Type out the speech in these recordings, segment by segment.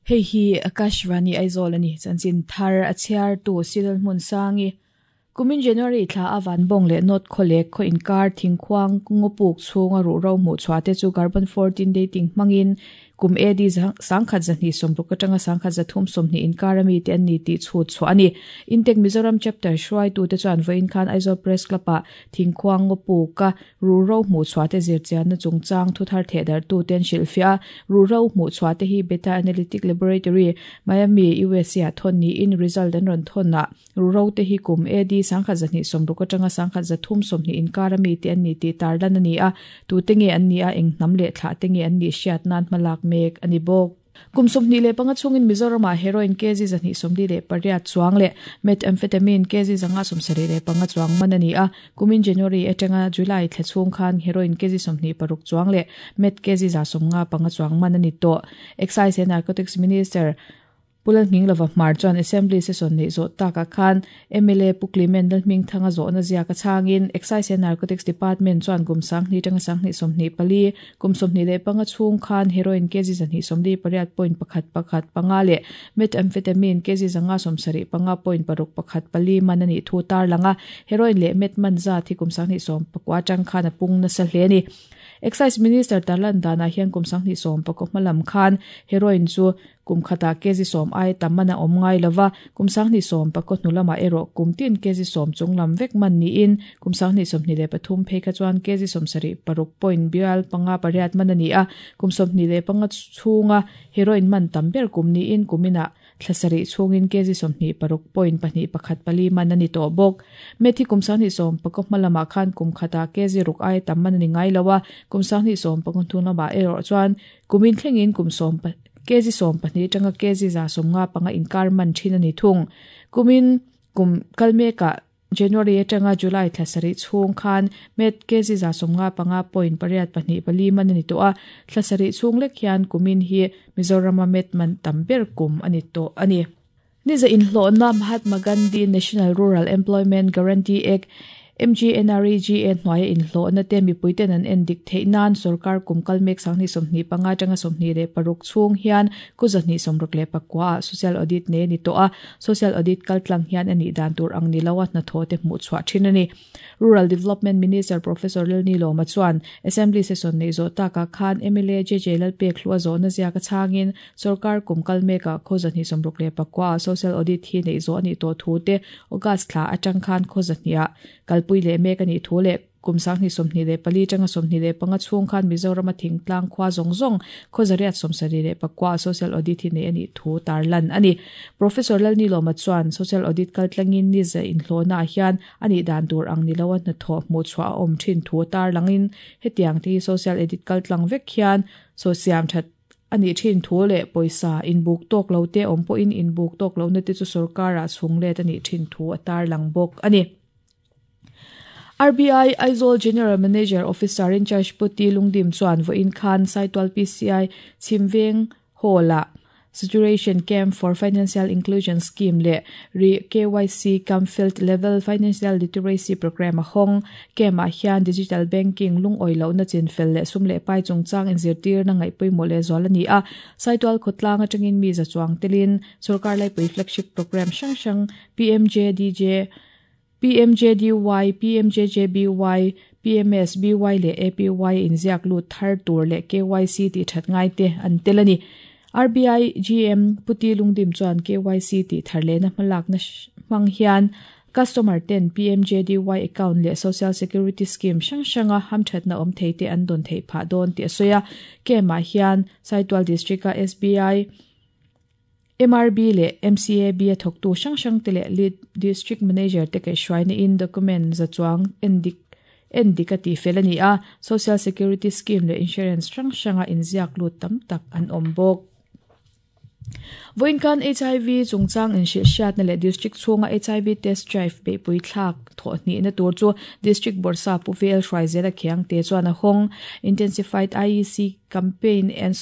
Hei hi Akashvani Aizawl a ni. Chanchin thar a chhiartu Cyril Hmunsangi. Kumin January thla a Vanbawng leh North Khawlek khaw inkar thingkhuang ngawpuk chhunga ruhro hmuh chhuah te chu carbon 14 dating hmangin kum AD 1960 atanga 1320 inkar ami te an ni tih chhut chhuah a ni. Intech Mizoram Chapter hruaitute chuan vawiin khan Aizawl Press Club-ah thingkhuang ngawpuka Ruhro hmuhchhuahte zirchianna chungchang thuthar thehdarhtute an hrilhfiah a, ruhro hmuhchhuahte hi Beta Analytic Laboratory, Miami, USA ah thawn niin result an rawn thawn a, ruhro te hi kum AD 1260 atanga 1320 inkar ami te an ni tih tarlan a ni a, tute nge an nih a, eng hnam leh thlah te nge an nih hriat nan hmalak mek a ni bawk. Kum 25 chhungin Mizoramah heroin kg 248 chuang leh methamphetamine kg 575 chuang man a ni a. Kumin January atanga July thla chhung khan heroin kg 26 chuang leh meth kg 155 chuang man a ni tawh. Excise and Narcotics Minister Pu Lalhminglova Hmar chuan Assembly session neih zawh takah khan mla Pu Clement Lalhmingthanga zawhna ziak a chhangin Excise and Narcotics Department chuan kum sanghnih tanga sanghnih 24, kum 25 chhung khan heroin kg 248 point pakhat pakhat panga leh methamphetamine kg 575 point paruk pakhat pali man a nih thu tarlang a, heroin leh meth man zat hi kum sanghnih 19 atang khan a pung nasa hle a ni. Excise Minister tarlan danah hian kum 2019 hmalam khan heroin chu Kum khatah kg sawm ai tam man a awm ngai lo va, kum 2019 hnu lamah erawh kum tin kg sawm chung lam vek man niin kum 2023 phei kha chuan kg sawmsarih paruk point bial panga pariat man a ni a, kum 25 chhunga heroin man tam ber kum niin kuminah thla sarih chhungin kg sawmhnih paruk point pahnih pakhat pali man a ni tawh bawk. Meth hi kum 2019 hma lamah khan kum khatah kg ruk ai tam man a ni ngai lo a, kum 2019 hnu lamah erawh chuan Kumin thlengin kum sawm kg 12 atanga kg 155 inkar man thin a ni thung. Kumin kum kal mekah January atanga July thla sarih chhung khan met kg 155 point pariat pahnih pali man a ni tawh a, thla sarih chhung lek hian kumin hi Mizorama met man tam ber kum a ni tawh a ni. Niza inhlawhna Mahatma Gandhi National Rural Employment Guarantee Act, MGNREGA, hnuaia inhlawhna te mipuiten an en dik theih nan sorkar kum kal mek 2025 atanga 26 chhung hian ku 269 ah Social Audit nei a ni tawh a, Social Audit kaltlang hian a nih dan tur ang ni lo a hnathawh te hmuh chhuah thin a ni. Rural Development Minister Professor Lalnilawma chuan Assembly session neih zawh takah khan mla JJ Lalpekhlua zawhna ziak a chhangin Sorkar kum kal mekah khaw 269 ah Social Audit hi neih zawh a nih tawh thu te August thla atang khan khaw zahnih ah kalpui leh mek a nih thu leh kum 2024 atanga 25 chhung khan Mizorama thingtlang khua zawng zawng khaw 174 ah Social Audit hi neih a nih thu tarlan a ni. Professor Lalnilawma chuan Social Audit kaltlangin ni za inhlawhna ah hian a nih dan tur ang ni loa hnathawh hmuhchhuah a awm thin thu tarlangin hetiang te hi Social Edit kaltlang vek hian saw siam that a nih thin thu leh pawisa inbuk tawk lo te awm pawhin inbuk tawk lohna te chu sorkar-ah chhung let a nih thin thu a tarlang bawk a ni. RBI Aizawl General Manager Officer in Charge Puti Lungdim chuan vawiin khan Saitual PCI Chhimveng Hall-ah Saturation Camp for Financial Inclusion Scheme leh Ri KYC Cum Field Level Financial Literacy Programme a hawng. Camp-ah hian Digital Banking lungawi lohna chinfel leh sum leh pai chungchang inzirtirna ngaih pawimawh lehzual a ni a. Saitual khawtlang atangin mi za chuang telin Sorkar Laipui Flagship Programme hrang hrang PMJDJ, PMJDY, PMJJBY, PMSBY leh APY inziak lut thar tur leh KYC tih that ngai te an tel a ni. RBI GM Puti Lungdim chuan KYC tih thar lehna hmalakna hmang hian customer ten PMJDY account leh Social Security Scheme hrang hranga hamthatna awm thei te an dawn theih phah dawn tih a sawi a. Camp-ah hian Saitual District-a SBI, MRB leh MCAB a thawktu hrang hrang te leh Lead District Manager te kaihhruaina in document za chuang endik endik a tihfel a ni a, Social Security Scheme leh Insurance hrang hranga inziak lut tam tak an awm bawk. Vawiin khan HIV chungchang inhrilhhriatna leh District chhunga HIV test drive beihpui thlak thawhhnihna tur chu District Bawrhsa Pu VL Hruaizela Khiangte chuan a hawng. Intensified IEC Campaign and.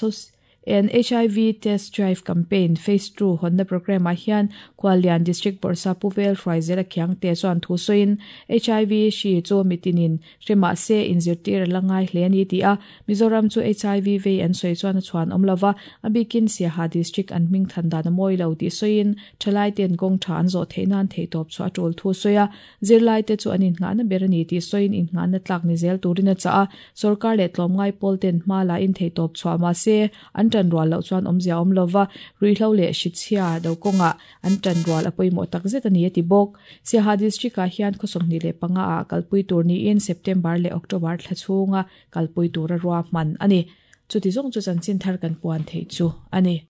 En HIV Test Drive Campaign Phase ii hawnna programme ah hian Khuallian District Bawrhsap Pu Vel Hruaizela Khiangte chuan thu sawiin HIV hri chu mitinin hre mah se inzirtir a la ngai hle a ni ti a, Mizoram chu HIV vei an sawi chuan a chhuan awm lova, a bikin Siaha District an hming than dan a mawi lo tih sawiin thalai ten kawng tha an zawh theih nan theihtawp chu a tul thu sawi a, zirlai te chu an innghahna ber a ni tih sawiin innghahna tlak ni zel turin a chah a, Sorkar leh tlawmngai pawl ten hma la in theihtawp chhuah mah se an tan rual loh chuan awmzia awm lova, ruihhlo leh hrichhia do kawngah an tan rual a pawimawh tak zet a ni a ti bawk. Siaha District ah hian khaw 25 ah kalpui tur niin September leh October thla chhunga kalpui tura ruahman a ni. Chuti zawng chu chanchin thar kan puan theih chu a ni.